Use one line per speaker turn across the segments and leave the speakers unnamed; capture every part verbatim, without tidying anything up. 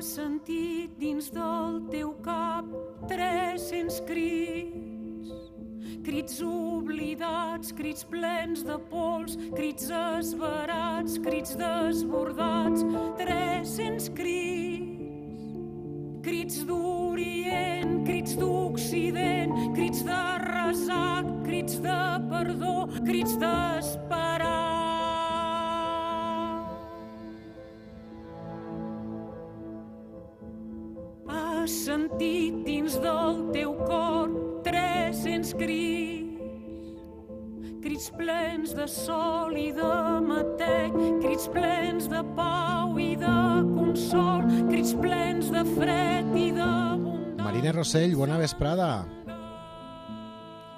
sentit dins del teu cap tres-cents crits, crits oblidats, crits plens de pols, crits esverats, crits desbordats, tres-cents crits, crits d'Orient, crits d'Occident, crits de resac, crits de perdó, crits d'esperar. Has sentit dins del teu cor tres-cents crits, crits plens de sol i de matec, crits plens de pau i de consol, crits plens de fred i de bondat.
Marina Rossell, bona vesprada.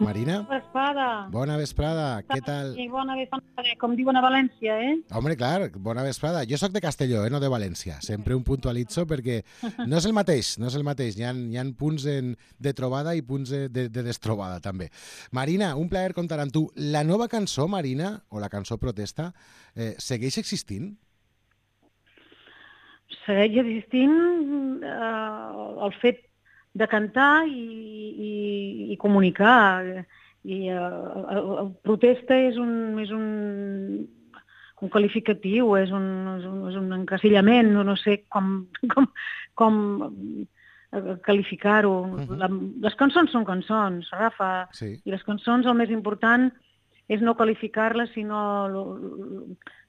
Marina?
Bona vesprada.
Bona vesprada, què tal?
Sí, bona vesprada, com diuen a València, eh?
Home, clar, bona vesprada. Jo sóc de Castelló, eh, no de València. Sempre un puntualitzo perquè no és el mateix, no és el mateix. Hi ha, hi ha punts en, de trobada i punts de, de, de destrobada, també. Marina, un plaer comptar amb tu. La nova cançó, Marina, o la cançó Protesta, eh, segueix existint?
Segueix existint eh, el fet de cantar i, i, i comunicar. I eh, el, el protesta és un, és un, un qualificatiu, és un, és un, és un encasillament, no, no sé com, com, com qualificar-ho. Uh-huh. La, les cançons són cançons, Rafa, sí. I les cançons el més important és no qualificar-les, sinó el,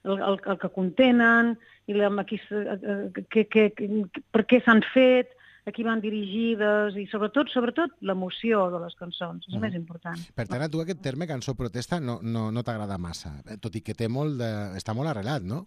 el, el, el que contenen, i la, aquí, que, que, que, per què s'han fet, a qui van dirigides i sobretot sobretot l'emoció de les cançons, és mm. més important.
Per tant, a tu aquest terme cançó protesta no, no, no t'agrada massa, tot i que té molt de... està molt arrelat, no?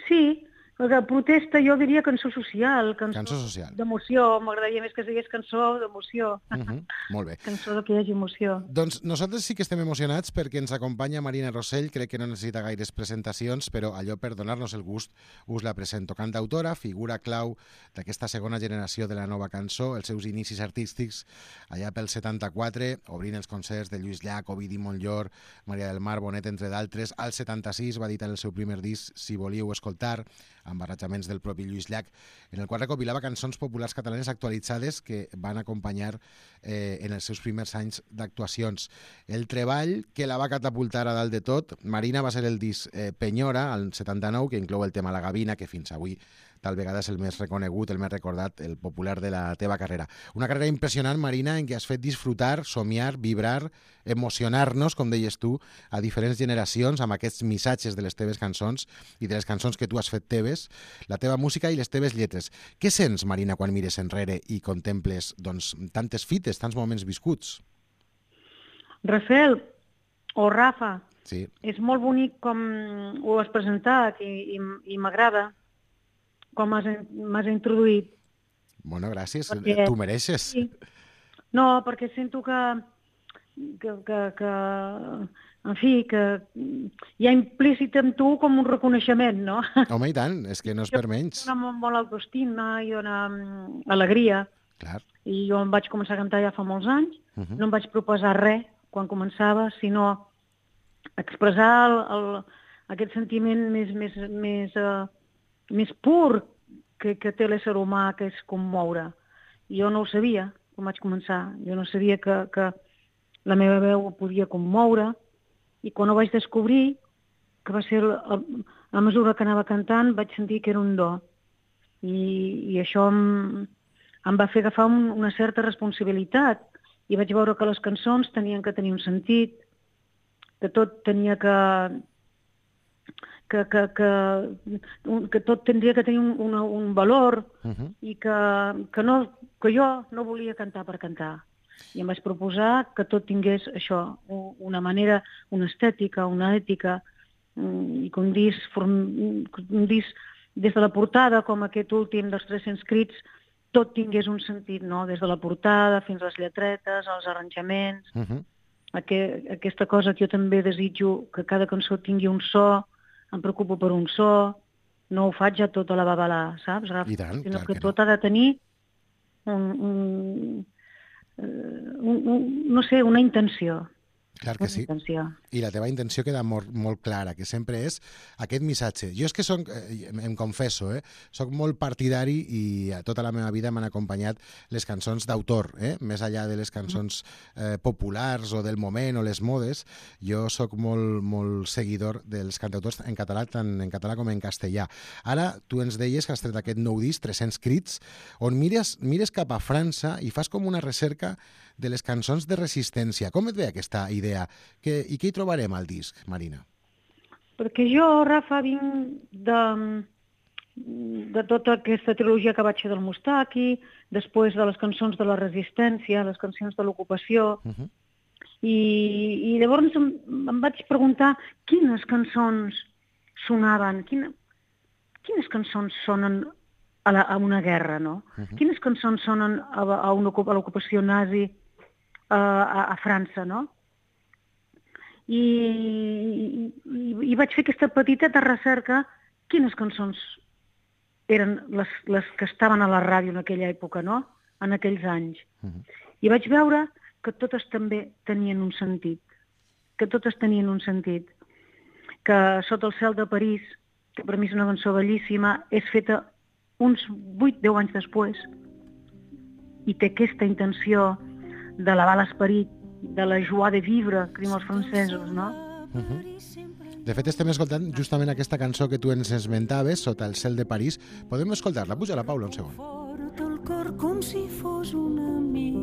Sí, perquè protesta jo diria cançó social, cançó,
cançó social.
D'emoció, m'agradaria més que es digués cançó d'emoció.
Uh -huh. Molt bé.
Cançó de que hi hagi emoció.
Doncs nosaltres sí que estem emocionats perquè ens acompanya Marina Rossell, crec que no necessita gaires presentacions, però allò per donar-nos el gust us la presento. Cantautora, figura clau d'aquesta segona generació de la nova cançó, els seus inicis artístics allà pel setanta-quatre, obrint els concerts de Lluís Llach, Ovidi Montllor, Maria del Mar, Bonet, entre d'altres. Al setanta-sis va editar el seu primer disc, Si volíeu escoltar, amb barrejaments del propi Lluís Llach, en el qual recopilava cançons populars catalanes actualitzades que van acompanyar eh, en els seus primers anys d'actuacions. El treball que la va catapultar a dalt de tot, Marina, va ser el disc eh, Penyora, al setanta-nou, que inclou el tema La Gavina, que fins avui tal vegada és el més reconegut, el més recordat, el popular de la teva carrera. Una carrera impressionant, Marina, en què has fet disfrutar, somiar, vibrar, emocionar-nos, com deies tu, a diferents generacions amb aquests missatges de les teves cançons i de les cançons que tu has fet teves, la teva música i les teves lletres. Què sents, Marina, quan mires enrere i contemples doncs, tantes fites, tants moments viscuts?
Rafael, o Rafa,
sí.
És molt bonic com ho has presentat i, i, i m'agrada com m'has introduït.
Bueno, gràcies. Perquè, tu mereixes. Sí.
No, perquè sento que, que, que, que, en fi, que hi ha implícit en tu com un reconeixement, no?
Home, i tant, és que no és per menys.
Dona molt autoestima i dona alegria.
Clar.
I jo em vaig començar a cantar ja fa molts anys. Uh-huh. No em vaig proposar res quan començava, sinó expressar el, el, aquest sentiment més... més, més uh, més pur que, que té l'ésser humà, que és commoure. Jo no ho sabia quan vaig començar. Jo no sabia que, que la meva veu podia commoure, i quan ho vaig descobrir, que va ser a, a mesura que anava cantant, vaig sentir que era un do. I, i això em, em va fer agafar un, una certa responsabilitat, i vaig veure que les cançons tenien que tenir un sentit, que tot tenia que... Que, que, que, que tot tindria que tenir un, una, un valor uh-huh. i que, que, no, que jo no volia cantar per cantar. I em vaig proposar que tot tingués això, una manera, una estètica, una ètica, i que un disc, un disc des de la portada, com aquest últim dels tres-cents crits, tot tingués un sentit, no? Des de la portada fins a les lletretes, als arranjaments. Uh-huh. Aquest, aquesta cosa que jo també desitjo, que cada cançó tingui un so, em preocupo per un so, no ho faig ja tot a la babalà, saps, Rafa?
I tant,
sinó
clar
que,
que
tot
no.
ha de tenir un, un, un, un, no sé, una intenció.
Clar que sí. I la teva intenció queda molt, molt clara, que sempre és aquest missatge. Jo és que soc, eh, em confesso, eh, soc molt partidari i a tota la meva vida m'han acompanyat les cançons d'autor, eh, més enllà de les cançons eh, populars o del moment o les modes. Jo sóc molt, molt seguidor dels cantautors en català, tant en català com en castellà. Ara, tu ens deies que has tret aquest nou disc, tres-cents crits, on mires, mires cap a França i fas com una recerca de les cançons de resistència. Com et ve aquesta idea? Que, I què hi trobarem al disc, Marina?
Perquè jo, Rafa, vinc de, de tota aquesta trilogia que vaig fer del Mustaki, després de les cançons de la resistència, les cançons de l'ocupació, uh -huh. i, i llavors em, em vaig preguntar quines cançons sonaven, quina, quines cançons sonen a, la, a una guerra, no? Uh -huh. Quines cançons sonen a, a, una, a l'ocupació nazi a, a, a França, no? I, i, i vaig fer aquesta petiteta recerca quines cançons eren les, les que estaven a la ràdio en aquella època, no? En aquells anys. Uh -huh. I vaig veure que totes també tenien un sentit, que totes tenien un sentit, que Sota el cel de París, que per mi és una cançó bellíssima, és feta uns vuit a deu anys després i té aquesta intenció d'elevar l'esperit, de la joie de vivre, que diuen els francesos, no?
Uh -huh. De fet, estem escoltant justament aquesta cançó que tu ens esmentaves, Sota el cel de París. Podem escoltar-la? Puja-la, Paula, un segon.
Fort el cor com si fos un amic.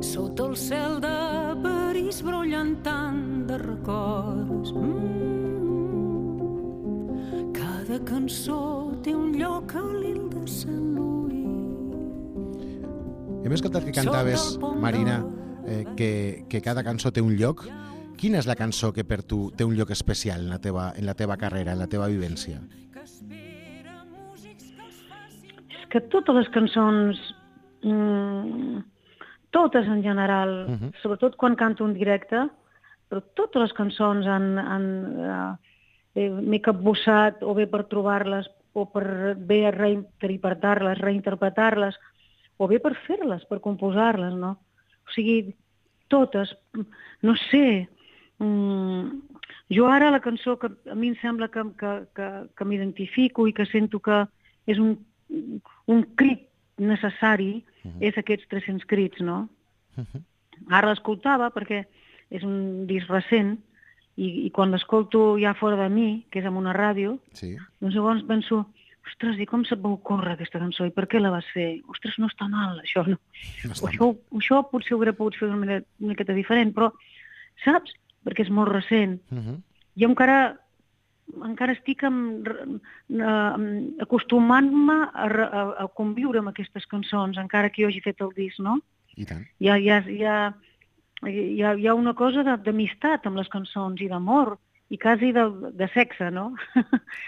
Sota el cel de París brollant tant de records. Mm. Cada cançó té un lloc a l'Il de Sant Louis.
Hem escoltat que cantaves, Marina, eh, que, que cada cançó té un lloc. Quina és la cançó que per tu té un lloc especial en la teva, en la teva carrera, en la teva vivència?
És que totes les cançons, mmm, totes en general, uh -huh. sobretot quan canto en directe, però totes les cançons han, han, eh, m'he capbussat o bé per trobar-les o per bé reinterpretar-les, reinterpretar-les, o bé per fer-les, per composar-les, no? O sigui, totes, no sé, mm, jo ara la cançó que a mi em sembla que, que, que, que m'identifico i que sento que és un, un crit necessari, uh-huh. és aquests tres-cents crits, no? Uh-huh. Ara l'escoltava perquè és un disc recent i, i quan l'escolto ja fora de mi, que és en una ràdio, sí. doncs llavors penso, ostres, i com se't va ocórrer aquesta cançó? I per què la vas fer? Ostres, no està mal, això, no? no està això, mal. Això potser ho hauria pogut fer d'una manera una miqueta diferent, però, saps? Perquè és molt recent. Uh-huh. Jo encara, encara estic amb, amb, acostumant-me a, a, a conviure amb aquestes cançons, encara que jo hagi fet el disc, no?
I tant.
Hi ha, hi ha, hi ha, hi ha, hi ha una cosa d'amistat amb les cançons i d'amor, i quasi de, de sexe, no?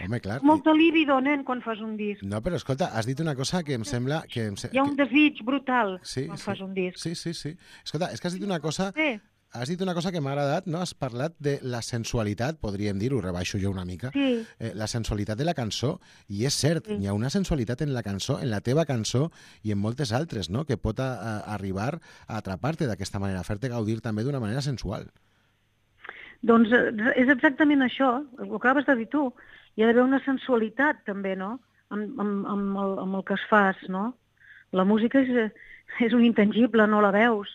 Home, clar.
Molta líbido, nen, quan fas un disc.
No, però escolta, has dit una cosa que em sembla... Que em se...
Hi ha un desig brutal
sí,
quan
sí.
fas un disc.
Sí, sí, sí. Escolta, és que has dit una cosa...
Sí.
Has dit una cosa que m'ha agradat, no? Has parlat de la sensualitat, podríem dir, ho rebaixo jo una mica,
sí.
eh, la sensualitat de la cançó, i és cert, sí. hi ha una sensualitat en la cançó, en la teva cançó i en moltes altres, no?, que pot a, a arribar a atrapar-te d'aquesta manera, a fer-te gaudir també d'una manera sensual.
Doncs és exactament això, ho acabes de dir tu. Hi ha d'haver una sensualitat també, no?, amb, amb, amb, el, amb el que es fas, no? La música és, és un intangible, no la veus,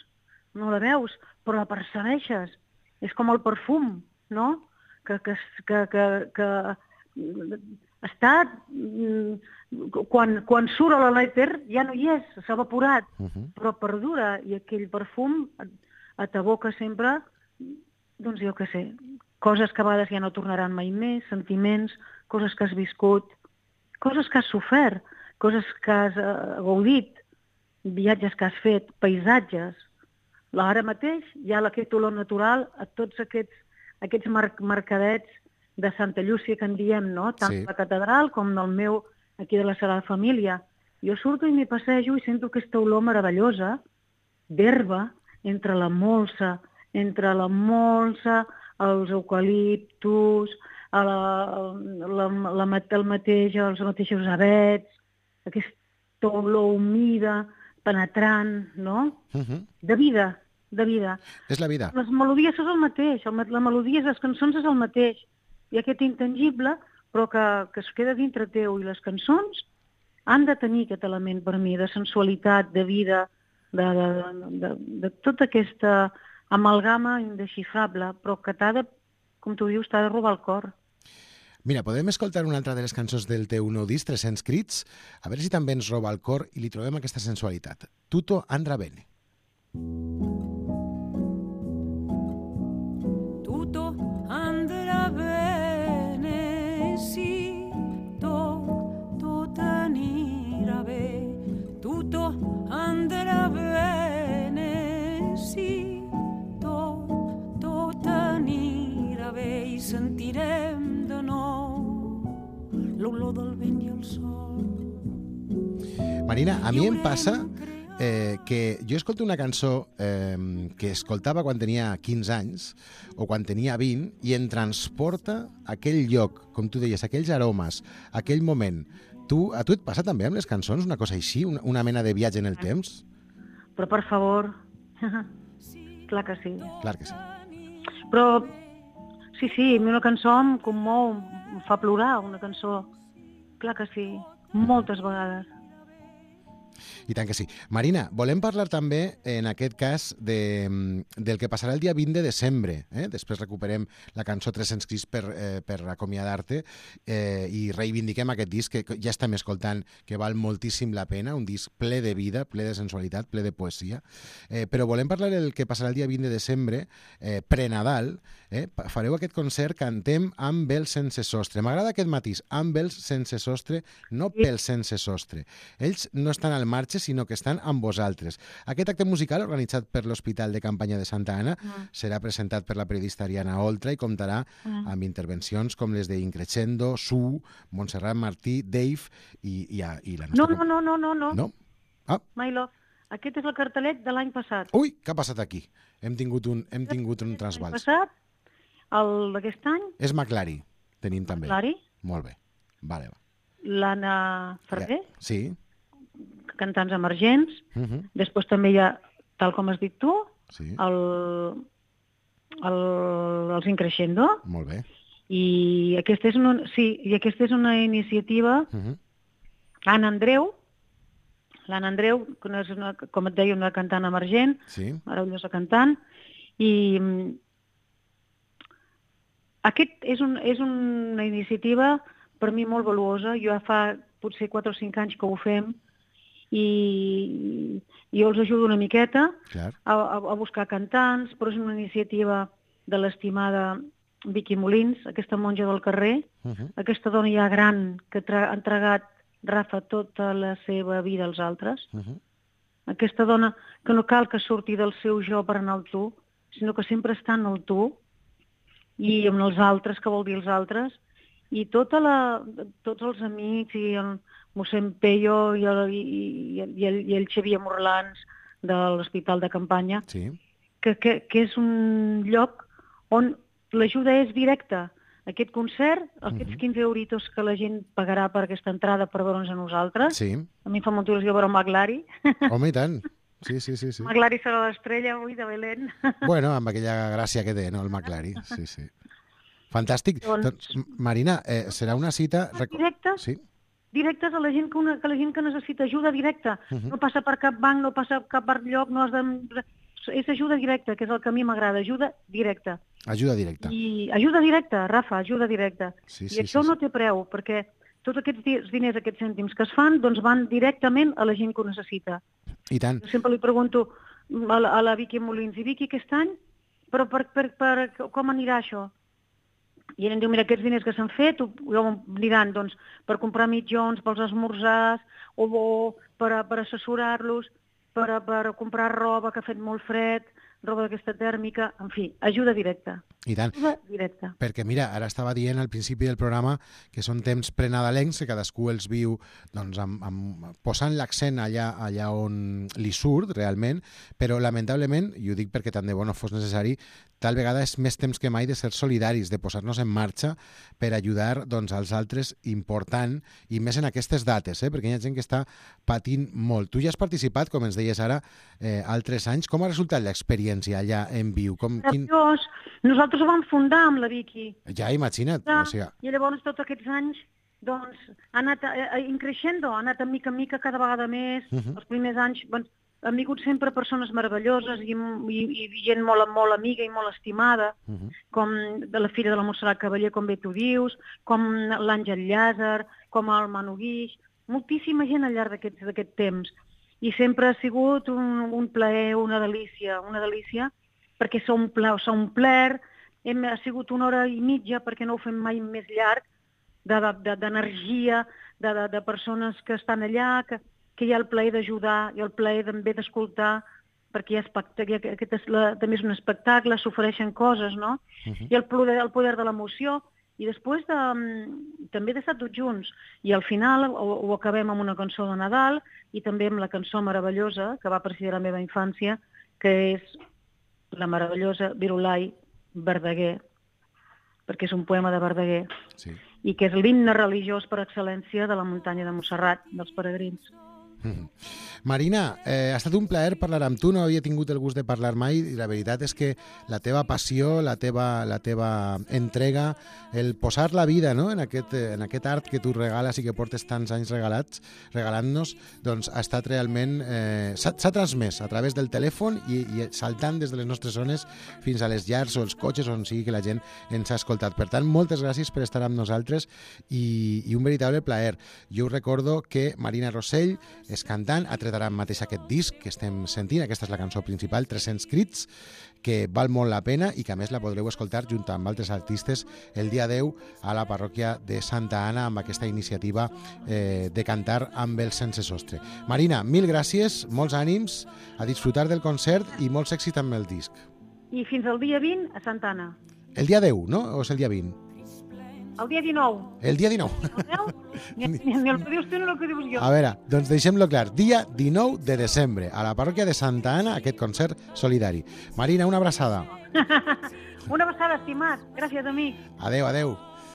no la veus, però la percebeixes. És com el perfum, no?, que, que, que, que, que està... Quan, quan surt a l'èter ja no hi és, s'ha evaporat, uh-huh. però perdura, i aquell perfum t'aboca sempre... Doncs jo què sé, coses que a vegades ja no tornaran mai més, sentiments, coses que has viscut, coses que has sofert, coses que has uh, gaudit, viatges que has fet, paisatges. Ara mateix hi ha aquest olor natural a tots aquests, aquests mar mercadets de Santa Llúcia que en diem, no? Tant sí. La catedral com el meu, aquí de la Sagrada Família. Jo surto i m'hi passejo i sento aquesta olor meravellosa d'herba entre la molsa, entre la molsa, els eucaliptus, la, la, la, el mateix, els mateixos avets, aquesta olor humida penetrant, no?
Uh -huh.
De vida, de vida.
És la vida.
Les melodies és el mateix, el, la melodia, les cançons és el mateix. I aquest intangible, però que, que es queda dintre teu, i les cançons han de tenir aquest element per mi, de sensualitat, de vida, de, de, de, de tota aquesta amalgama indesxifrable, però que t'ha de, com tu dius, t'ha de robar el cor.
Mira, podem escoltar una altra de les cançons del teu nou disc, tres-cents crits, a veure si també ens roba el cor i li trobem aquesta sensualitat. Tutto andrà bene.
Tutto andrà bene, sì, tot, tot anirà bé. Tutto andrà bene, sí, tot, tot anirà bé i sentirem de nou l'olor del vent i el sol.
Marina, a mi em passa eh, que jo escolto una cançó eh, que escoltava quan tenia quinze anys o quan tenia vint i em transporta a aquell lloc, com tu deies, aquells aromes, aquell moment. Tu, a tu et passa també amb les cançons una cosa així, una, una mena de viatge en el temps?
Però, per favor, clar que sí.
Clar que sí.
Però, sí, sí, a mi una cançó em commou, em fa plorar, una cançó. Clar que sí, moltes vegades.
I tant que sí. Marina, volem parlar també, en aquest cas, de, del que passarà el dia vint de desembre. Eh? Després recuperem la cançó tres-cents crits per, eh, per acomiadar-te eh, i reivindiquem aquest disc que ja estem escoltant, que val moltíssim la pena, un disc ple de vida, ple de sensualitat, ple de poesia. Eh, però volem parlar del que passarà el dia vint de desembre, eh, pre-Nadal. Eh? Fareu aquest concert, cantem amb els sense sostre. M'agrada aquest matís, amb els sense sostre, no pels sense sostre. Ells no estan al marge, sinó que estan amb vosaltres. Aquest acte musical, organitzat per l'Hospital de Campanya de Santa Anna, mm. serà presentat per la periodista Ariana Oltra i comptarà mm. amb intervencions com les d'Increscendo, Su, Montserrat Martí, Dave i, i, i la nostra...
No, no, no, no, no.
No? Ah.
My Love. Aquest és el cartellet de l'any passat.
Ui, què ha passat aquí? Hem tingut un, hem tingut un trasbals.
L'any passat, el d'aquest any...
És McLary, tenim també.
McLary.
Molt bé. Vale, va.
L'Anna Ferrer.
Ja. Sí.
Cantants emergents.
Uh -huh.
Després també hi ha, tal com has dit tu,
sí.
el, el, els Increscendo.
Molt bé.
I aquesta és una, sí, i aquesta és una iniciativa... Uh -huh. Anna Andreu, l'Anna Andreu, que és una, com et deia, una cantant emergent,
sí.
meravellosa cantant, i aquest és, un, és una iniciativa per mi molt valuosa. Jo ja fa potser quatre o cinc anys que ho fem, i jo els ajudo una miqueta a, a, a buscar cantants, però és una iniciativa de l'estimada Vicky Molins, aquesta monja del carrer, uh -huh. aquesta dona ja gran que ha entregat, Rafa, tota la seva vida als altres. Uh -huh. Aquesta dona que no cal que surti del seu jo per anar al tu, sinó que sempre està en el tu, i amb els altres, que vol dir els altres, i tota la, tots els amics, i el mossèn Peyo i el, i, i, el, i el Xavier Morlans de l'Hospital de Campanya,
sí.
que, que, que és un lloc on l'ajuda és directa. Aquest concert, aquests quinze euritos que la gent pagarà per aquesta entrada per veure'ns a nosaltres,
sí.
A mi em fa molta il·lusió veure el McLary.
Home, i tant. Sí, sí, sí, sí.
McLary serà l'estrella avui de Belén.
Bueno, amb aquella gràcia que té, no, el McLary. Sí, sí. Fantàstic. Doncs, doncs Marina, eh, serà una cita...
Directa?
Sí.
Directes a la gent que, una, que la gent que necessita ajuda directa. Uh -huh. No passa per cap banc, no passa per cap lloc, no has de... És ajuda directa, que és el que a mi m'agrada, ajuda directa.
Ajuda directa.
I ajuda directa, Rafa, ajuda directa.
Sí,
I
sí,
això
sí,
no
sí.
té preu, perquè tots aquests diners, aquests cèntims que es fan, doncs van directament a la gent que ho necessita.
I tant.
Jo sempre li pregunto a la, a la Vicky Molins, i Vicky, aquest any, però per, per, per, com anirà això? I ella em diu, mira, aquests diners que s'han fet, ho, ho aniran doncs, per comprar mitjons, pels esmorzars, o, o per, per assessorar-los, per, per comprar roba que ha fet molt fred, roba d'aquesta tèrmica, en fi, ajuda directa.
I tant.
Ajuda directa. directe.
Perquè, mira, ara estava dient al principi del programa que són temps prenadalencs, que cadascú els viu doncs, amb, amb, posant l'accent allà, allà on li surt realment, però lamentablement, i ho dic perquè tant de bo no fos necessari, tal vegada és més temps que mai de ser solidaris, de posar-nos en marxa per ajudar doncs, als altres important, i més en aquestes dates, eh? Perquè hi ha gent que està patint molt. Tu ja has participat, com ens deies ara, eh, altres anys. Com ha resultat l'experiència allà en viu? Com, quin...
Nosaltres ho vam fundar amb la Vicky.
Ja, imagina't.
Ja,
o sigui...
I llavors tots aquests anys doncs, ha anat eh, increixendo, ha anat a mica en mica cada vegada més. Uh -huh. Els primers anys doncs, han vingut sempre persones meravelloses i, i, i gent molt, molt amiga i molt estimada, uh -huh. com de la filla de la Montserrat Cavaller, com bé tu dius, com l'Àngel Llàzer, com el Manu Guix, moltíssima gent al llarg d'aquest d'aquest temps. I sempre ha sigut un, un plaer, una delícia, una delícia, perquè s'ha omplert, s'ha omplert, hem, ha sigut una hora i mitja, perquè no ho fem mai més llarg, d'energia, de, de, de, de persones que estan allà, que, que hi ha el plaer d'ajudar, hi ha el plaer també d'escoltar, perquè hi ha espectacle, aquest és la, també és un espectacle, s'ofereixen coses, no? Uh -huh. I el poder, el poder de l'emoció, i després de, també d'estar tots junts. I al final ho, ho acabem amb una cançó de Nadal i també amb la cançó meravellosa que va presidir la meva infància, que és la meravellosa Virolai Verdaguer, perquè és un poema de Verdaguer, sí. I que és l'himne religiós per excel·lència de la muntanya de Montserrat, dels peregrins.
Mm. Marina, eh, ha estat un plaer parlar amb tu, no havia tingut el gust de parlar mai i la veritat és que la teva passió, la teva, la teva entrega, el posar la vida, no?, en, aquest, en aquest art que tu regales i que portes tants anys regalats, regalant-nos, doncs ha estat realment... Eh, s'ha transmès a través del telèfon i, i saltant des de les nostres zones fins a les llars o els cotxes on sigui que la gent ens ha escoltat. Per tant, moltes gràcies per estar amb nosaltres i, i un veritable plaer. Jo us recordo que Marina Rossell és cantant, ha tret ara mateix aquest disc que estem sentint, aquesta és la cançó principal, tres-cents crits, que val molt la pena i que a més la podreu escoltar junt amb altres artistes el dia deu a la parròquia de Santa Anna amb aquesta iniciativa eh, de cantar amb el Sense Sostre. Marina, mil gràcies, molts ànims, a disfrutar del concert i molts èxits amb el disc.
I fins al dia vint a Santa Anna.
El dia deu, no? O és el dia vint?
El dia dinou.
El dia dinou.
El deu? Ni, ni, ni el que dius tu ni el que dius jo.
A veure, doncs deixem-lo clar. Dia dinou de desembre, a la parròquia de Santa Anna, aquest concert solidari. Marina, una abraçada.
Una abraçada, estimat. Gràcies, amic.
Adeu, adeu.